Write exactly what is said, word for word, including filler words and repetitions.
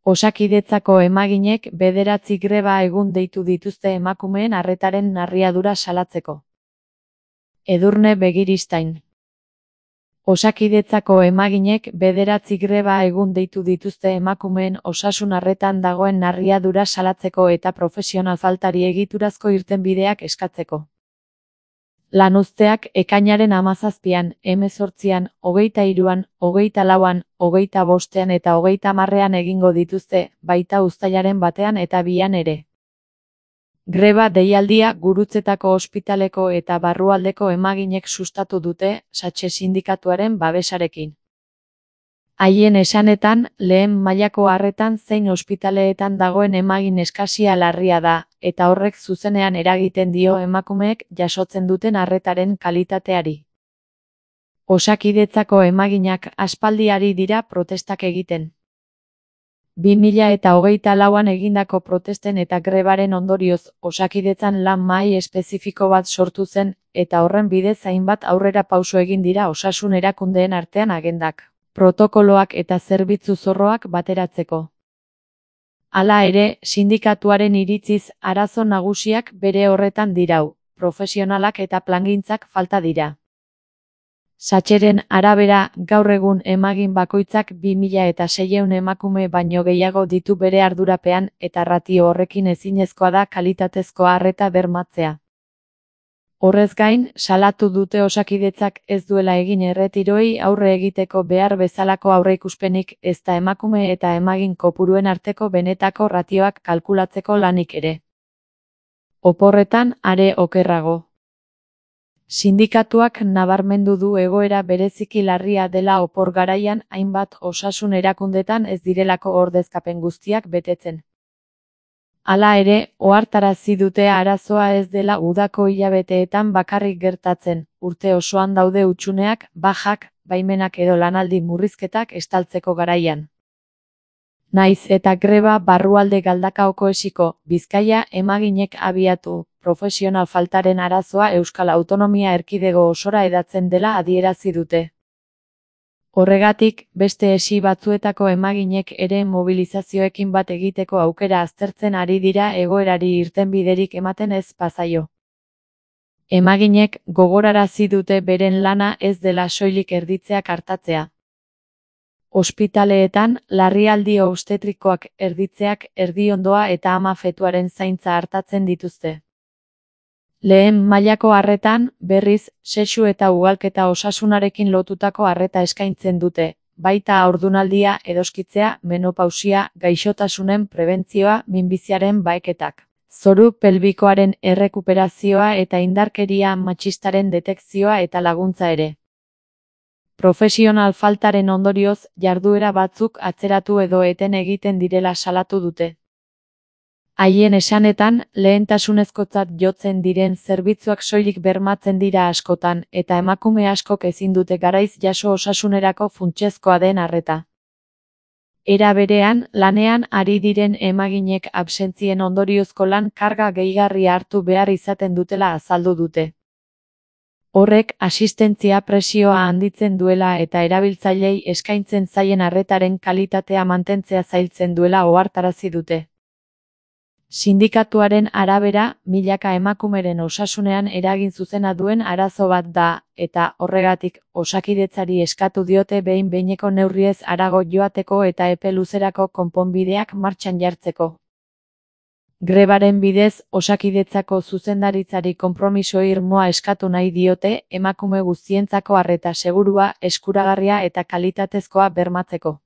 Osakidetzako emaginek bederatzi greba egun deitu dituzte emakumeen arretaren narriadura salatzeko. Edurne Begiristain. Osakidetzako emaginek bederatzi greba egun deitu dituzte emakumeen osasun arretan dagoen narriadura salatzeko eta profesional faltari egiturazko irtenbideak eskatzeko. Lanuzteak ekainaren hamazazpian, hemezortzian, hogeita hiruan, hogeita lauan, hogeita bostean eta hogeita hamarrean egingo dituzte, baita uztailaren batean eta bian ere. Greba deialdia Gurutzetako ospitaleko eta barrualdeko emaginek sustatu dute, Satxe sindikatuaren babesarekin. Haien esanetan, lehen mailako arretan zein ospitaleetan dagoen emagin eskasia larria da, eta horrek zuzenean eragiten dio emakumeek jasotzen duten arretaren kalitateari. Osakidetzako emaginak aspaldi ari dira protestak egiten. bi mila eta hogeita lauan egindako protesten eta grebaren ondorioz, Osakidetzan lan mahai espezifiko bat sortu zen, eta horren bidez hainbat aurrera pauso egin dira osasun erakundeen artean agendak, protokoloak eta zerbitzu zorroak bateratzeko. Hala ere, sindikatuaren iritziz, arazo nagusiak bere horretan dirau, profesionalak eta plangintzak falta dira. Satxeren arabera, gaur egun emagin bakoitzak bi mila eta seiehun emakume baino gehiago ditu bere ardurapean eta ratio horrekin ezinezkoa da kalitatezko arreta bermatzea. Horrez gain, salatu dute Osakidetzak ez duela egin erretiroei aurre egiteko behar bezalako aurreikuspenik ezta emakume eta emagin kopuruen arteko benetako ratioak kalkulatzeko lanik ere. Oporretan are okerrago. Sindikatuak nabarmendu du egoera bereziki larria dela opor garaian hainbat osasun erakundetan ez direlako ordezkapen guztiak betetzen. Hala ere, ohartarazi dute arazoa ez dela udako hilabeteetan bakarrik gertatzen, urte osoan daude hutsuneak, bajak, baimenak edo lanaldi murrizketak estaltzeko garaian. Naiz eta greba barrualde Galdakaoko esiko, Bizkaia emaginek abiatu, profesional faltaren arazoa Euskal Autonomia Erkidego osora hedatzen dela adierazi dute. Horregatik, beste esi batzuetako emaginek ere mobilizazioekin bat egiteko aukera aztertzen ari dira egoerari irtenbiderik ematen ez bazaio. Emaginek gogorarazi dute beren lana ez dela soilik erditzeak artatzea. Ospitaleetan, larrialdi obstetrikoak erditzeak erdiondoa eta ama fetuaren zaintza hartatzen dituzte. Lehen mailako arretan, berriz, sexu eta ugalketa osasunarekin lotutako arreta eskaintzen dute, baita haurdunaldia, edoskitzea, menopausia, gaixotasunen prebentzioa, minbiziaren baheketak, zoru pelbikoaren errekuperazioa eta indarkeria matxistaren detekzioa eta laguntza ere. Profesional faltaren ondorioz, jarduera batzuk atzeratu edo eten egiten direla salatu dute. Haien esanetan, lehentasunezkotzat jotzen diren zerbitzuak soilik bermatzen dira askotan, eta emakume askok ezin dute garaiz jaso osasunerako funtsezkoa den arreta. Era berean, lanean ari diren emaginek absentzien ondoriozko lan karga gehigarria hartu behar izaten dutela azaldu dute. Horrek asistentzia presioa handitzen duela eta erabiltzailei eskaintzen zaien arretaren kalitatea mantentzea zailtzen duela ohartarazi dute. Sindikatuaren arabera, milaka emakumeren osasunean eragin zuzena duen arazo bat da, eta horregatik Osakidetzari eskatu diote behin-behineko neurriez harago joateko eta epe luzerako konponbideak martxan jartzeko. Grebaren bidez, Osakidetzako zuzendaritzari konpromiso irmoa eskatu nahi diote emakume guztientzako arreta segurua, eskuragarria eta kalitatezkoa bermatzeko.